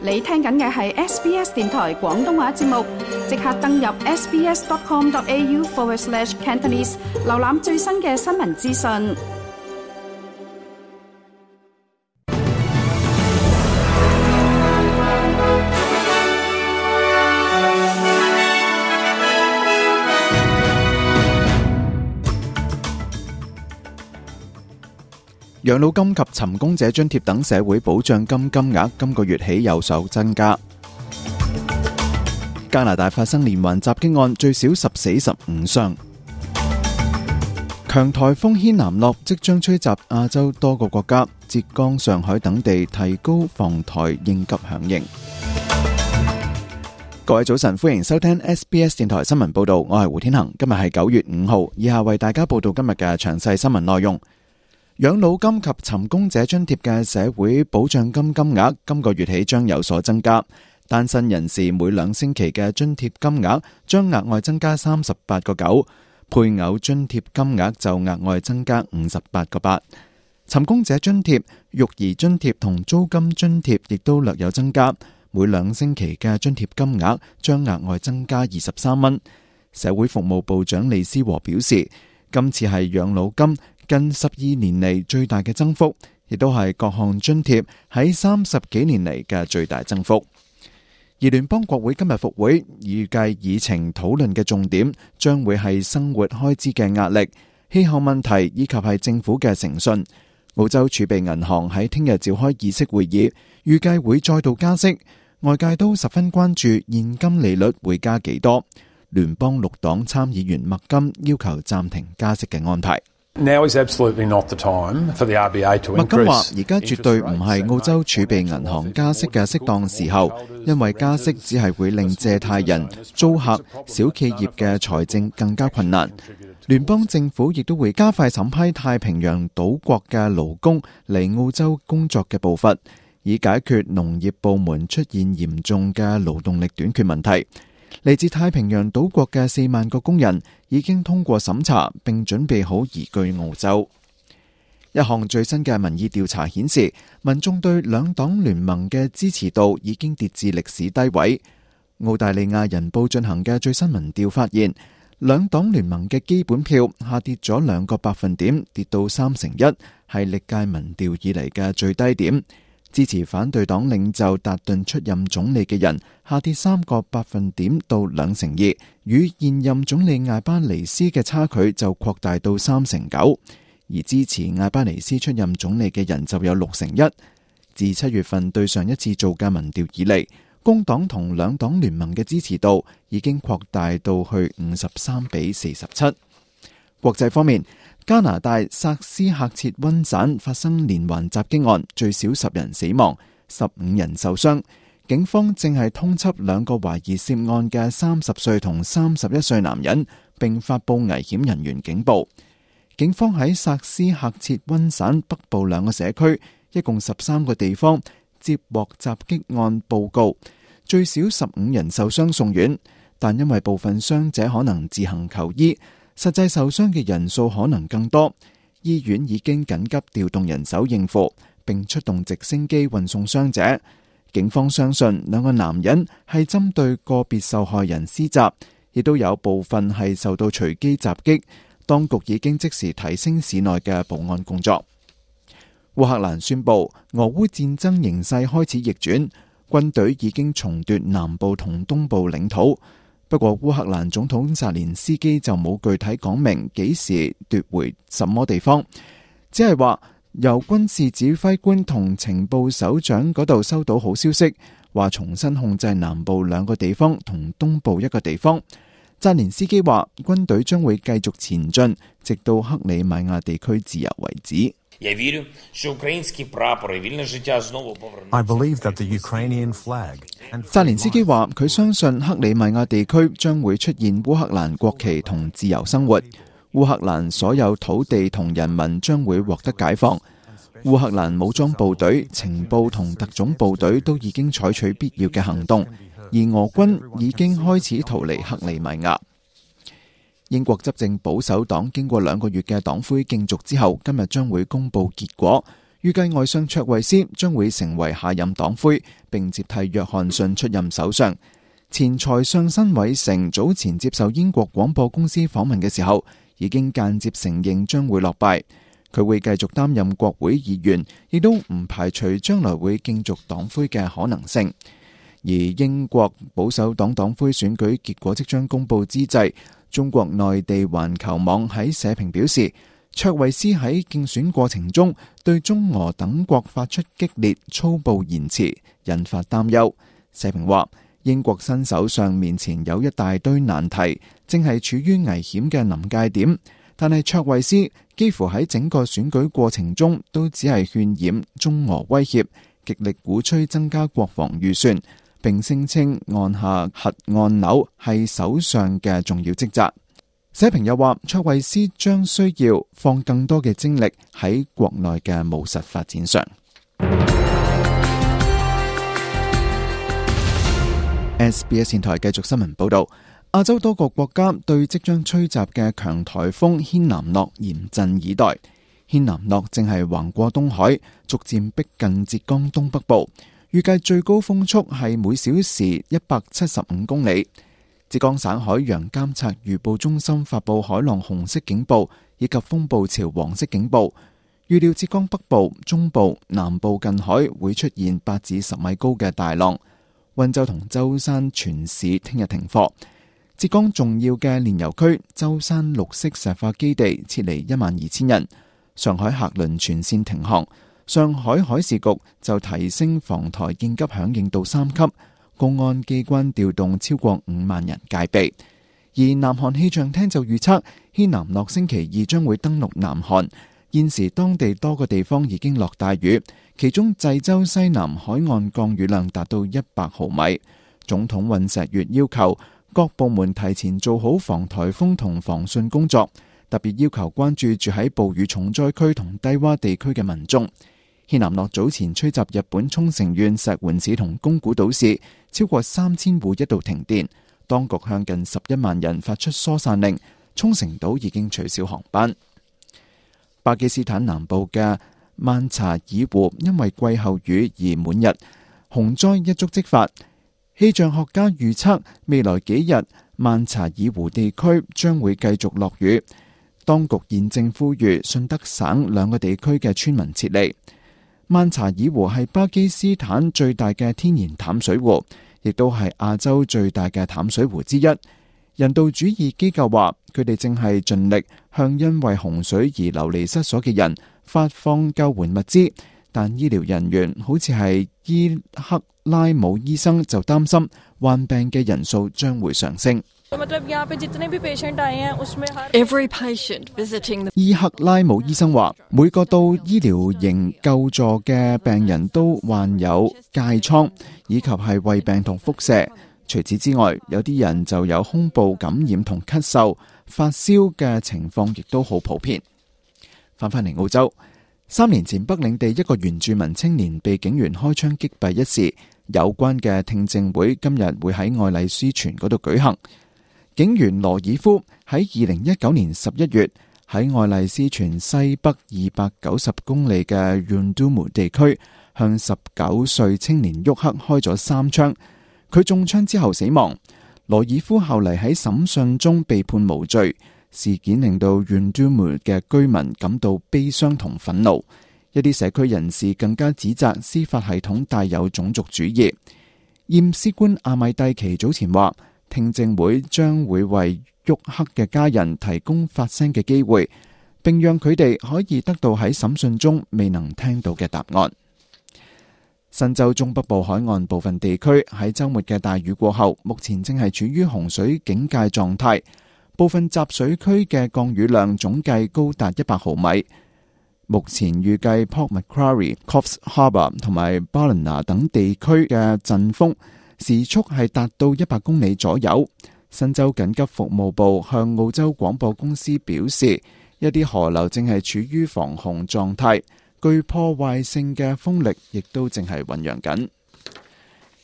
你聽緊嘅係 SBS 電台廣東話節目，即刻登入 sbs.com.au/Cantonese 瀏覽最新嘅新聞資訊。養老金及尋工者津貼等社會保障金金額今個月起有所增加。加拿大發生連環襲擊案，最少10死15傷。強颱風軒嵐諾即將吹襲亞洲多個國家，浙江、上海等地提高防台應急響應。各位早晨，歡迎收聽 SBS 電台新聞報道，我係胡天恒。今日係9月5號，以下為大家報道今日嘅詳細新聞內容。養老金及尋工者津貼嘅社會保障金金額今個月起將有所增加，單身人士每2星期嘅津貼金額將額外增加38.9，配偶津貼金額就額外增加58.8。尋工者津貼、育兒津貼同租金津貼亦都略有增加，每2星期嘅津貼金額將額外增加23蚊。社會服務部長李思和表示，今次係養老金近12年嚟最大嘅增幅，亦都係各項津貼喺30幾年嚟嘅最大增幅。而聯邦國會今日復會，預計議程討論嘅重點將會係生活開支嘅壓力、氣候問題以及係政府嘅誠信。澳洲儲備銀行喺聽日召開議息會議，預計會再度加息，外界都十分關注現金利率會加幾多。聯邦綠黨參議員麥金要求暫停加息嘅安排。Now is absolutely not the time for the RBA to increase. 麥金話：而家絕對唔係澳洲儲備銀行加息嘅適當時候，因為加息只係會令借貸人、租客、小企業嘅財政更加困難。聯邦政府亦都會加快審批太平洋島國嘅勞工嚟澳洲工作嘅步伐，以解決農業部門出現嚴重嘅勞動力短缺問題。嚟自太平洋島國嘅4萬個工人已經通過審查，並準備好移居澳洲。一項最新嘅民意調查顯示，民眾對兩黨聯盟嘅支持度已經跌至歷史低位。澳大利亞人報進行嘅最新民調發現，兩黨聯盟嘅基本票下跌咗2個百分點，跌到3%，係歷屆民調以嚟嘅最低點。支持反對黨領袖達頓出任總理嘅人下跌3個百分點到2%，與現任總理艾巴尼斯嘅差距就擴大到3%，而支持艾巴尼斯出任總理嘅人就有6%。自7月份對上一次做嘅民調以嚟，工黨同兩黨聯盟嘅支持度已經擴大到去53-47。國際方面，加拿大薩斯喀徹溫省發生連環襲擊案，最少10人死亡，15人受傷。警方正係通緝2個懷疑涉案嘅30歲同31歲男人，並發佈危險人員警報。警方喺薩斯喀徹溫省北部2個社區，一共13個地方接獲襲擊案報告，最少15人受傷送院，但因為部分傷者可能自行求醫，實際受傷嘅人數可能更多。醫院已經緊急調動人手應付，並出動直升機運送傷者。警方相信2個男人係針對個別受害人施襲，亦都有部分係受到隨機襲擊。當局已經即時提升市內嘅保安工作。烏克蘭宣布俄烏戰爭形勢開始逆轉，軍隊已經重奪南部同東部領土。不過烏克蘭總統澤連斯基就冇具體講明幾時奪回什麼地方，只係話由軍事指揮官同情報首長嗰度收到好消息，話重新控制南部2個地方同東部1個地方。澤連斯基話軍隊將會繼續前進，直到克里米亞地區自由為止。I believe that the Ukrainian flag. 澤連斯基話佢相信克里米亞地區將會出現烏克蘭國旗同自由生活，烏克蘭所有土地同人民將會獲得解放。烏克蘭武裝部隊、情報同特種部隊都已經採取必要嘅行動，而俄軍已經開始逃離克里米亞。英國執政保守黨經過2個月嘅黨魁競逐之後，今日將會公布結果，預計外相卓慧斯將會成為下任黨魁，並接替約翰遜出任首相。前財相辛偉誠早前接受英國廣播公司訪問嘅時候，已經間接承認將會落敗。佢會繼續擔任國會議員，亦都唔排除將來會競逐黨魁嘅可能性。而英國保守黨黨魁選舉結果即將公佈之際，中國內地環球網喺社評表示，卓慧斯喺競選過程中對中俄等國發出激烈粗暴言辭，引發擔憂。社評話，英國新首相面前有一大堆難題，正係處於危險嘅臨界點。但係卓慧斯幾乎喺整個選舉過程中都只係渲染中俄威脅，極力鼓吹增加國防預算，並聲稱按下核按鈕係首相嘅重要職責。社評又話，卓慧斯將需要放更多嘅精力喺國內嘅務實發展上。SBS 電台繼續新聞報道，亞洲多個國家對即將吹襲嘅強颱風軒南諾嚴陣以待。軒南諾正係橫過東海，逐漸逼近浙江東北部，預計最高風速係每小時175公里。浙江省海洋監察預報中心發佈海浪紅色警報以及風暴潮黃色警報，預料浙江北部、中部、南部近海會出現8至10米高嘅大浪。溫州同舟山全市聽日停課。浙江重要嘅煉油區舟山綠色石化基地撤離12000人。上海客輪全線停航。上海海事局就提升防台應急響應到3級。公安機關調動超過5萬人戒備。而南韓氣象廳就預測，軒南諾星期2將會登陸南韓。現時當地多個地方已經落大雨，其中濟州西南海岸降雨量達到100毫米。總統尹錫悅要求各部門提前做好防颱風同防汛工作，特別要求關注住喺暴雨重災區同低洼地區嘅民眾。軒南諾早前吹襲日本沖繩縣石垣市同宮古島市，超過3000戶一度停電，當局向近11萬人發出疏散令，沖繩島已經取消航班。巴基斯坦南部嘅曼查爾湖因為季候雨而滿日，洪災一觸即發。氣象學家預測未來幾日曼查爾湖地區將會繼續落雨，當局現正呼籲順德省2個地區嘅村民撤離。曼查爾湖係巴基斯坦最大嘅天然淡水湖，亦都係亞洲最大嘅淡水湖之一。人道主義機構話，佢哋正係盡力向因為洪水而流離失所嘅人發放救援物資，但醫療人員好似係伊克拉姆醫生就擔心患病嘅人數將會上升。伊克拉姆醫生話，每個到醫療營救助嘅病人都患有疥瘡，以及係胃病同腹瀉。除此之外，有啲人就有胸部感染同咳嗽、發燒嘅情況亦都好普遍。翻返嚟澳洲，3年前北領地一個原住民青年被警員開槍擊斃一事，有關嘅聽證會今日會喺愛麗斯泉嗰度舉行。警員羅爾夫喺2019年11月喺愛麗斯泉西北290公里嘅 Yundumu 地區向19歲青年沃克開咗3槍，佢中槍之後死亡。羅爾夫後嚟喺審訊中被判無罪，事件令到 Yundumu 嘅居民感到悲傷同憤怒，一啲社區人士更加指責司法系統帶有種族主義。驗屍官阿米蒂奇早前話，聽證會將會為沃克嘅家人提供發聲嘅機會，並讓佢哋可以得到喺審訊中未能聽到嘅答案。新州中北部海岸部分地區喺週末嘅大雨過後，目前正係處於洪水警戒狀態，部分集水區嘅降雨量總計高達100毫米。目前預計 Port Macquarie、Coffs Harbour 同埋 Ballina 等地區嘅陣風時速係達到100公里左右。新州緊急服務部向澳洲廣播公司表示，一啲河流正係處於防洪狀態，具破壞性嘅風力亦都正係醞釀緊。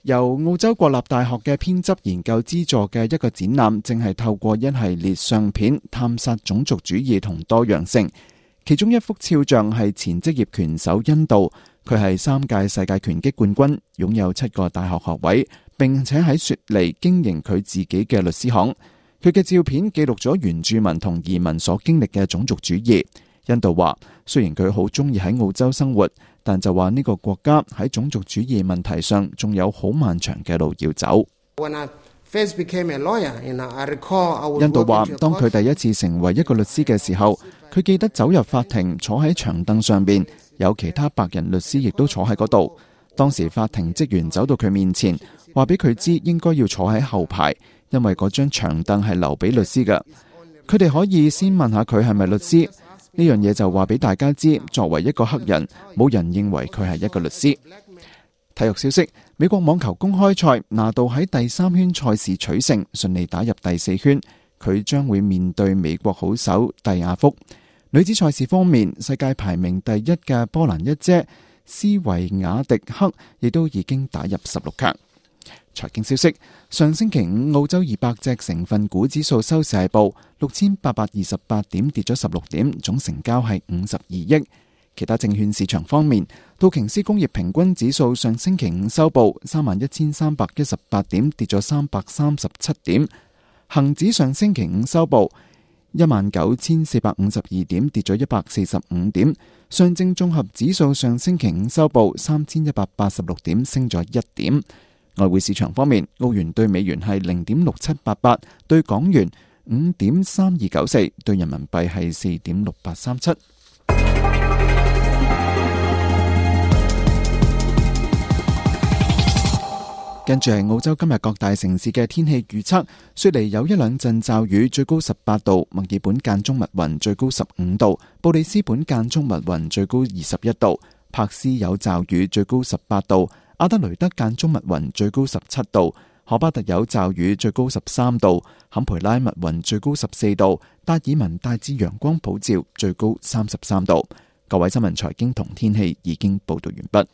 由澳洲國立大學嘅編輯研究資助嘅一個展覽，正係透過一系列相片探索種族主義同多樣性。其中一幅肖像係前職業拳手恩道，佢係3屆世界拳擊冠軍，擁有7個大學學位，並且喺雪梨經營佢自己嘅律師行。佢嘅照片記錄咗原住民同移民所經歷嘅種族主義。恩道話，雖然佢好中意喺澳洲生活，但就話呢個國家喺種族主義問題上仲有好漫長嘅路要走。恩道話，當佢第一次成為一個律師嘅時候，佢記得走入法庭，坐喺長凳上邊，有其他白人律師亦都坐喺嗰度。當時法庭職員走到佢面前，話俾佢知應該要坐喺後排，因為嗰張長凳係留俾律師嘅。佢哋可以先問下佢係咪律師，呢樣嘢就話俾大家知，作為一個黑人，冇人認為佢係一個律師。體育消息，美國網球公開賽，拿度喺第3圈賽事取勝，順利打入第4圈，佢將會面對美國好手蒂亞福。女子賽事方面，世界排名第1嘅波蘭一姐斯維亞迪克亦都已經打入16強。財經消息，上星期五澳洲200隻成分股指數收市係報6828點，跌咗16點，總成交係52億。其他證券市場方面，道瓊斯工業平均指數上星期五收報31,318點，跌咗337點。恒指上星期五收報19,452點，跌咗145點。上證綜合指數上星期五收報3,186點，升咗1點。外匯市場方面，澳元對美元係0.6788，對港元5.3294，對人民幣係4.6837。跟住係澳洲今日各大城市嘅天氣預測，雪梨有1兩陣驟雨，最高18度；墨爾本間中密雲，最高15度；布里斯本間中密雲，最高21度；柏斯有驟雨，最高18度；阿德雷德間中密雲，最高17度；荷巴特有驟雨，最高13度；坎培拉密雲，最高14度；達爾文大致陽光普照，最高33度。各位新聞財經同天氣已經報道完畢。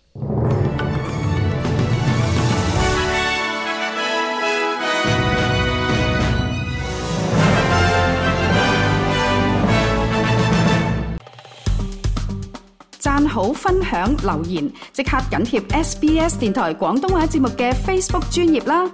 讚好、分享、留言，即刻緊貼SBS 電台廣東話節目嘅 Facebook 專頁啦！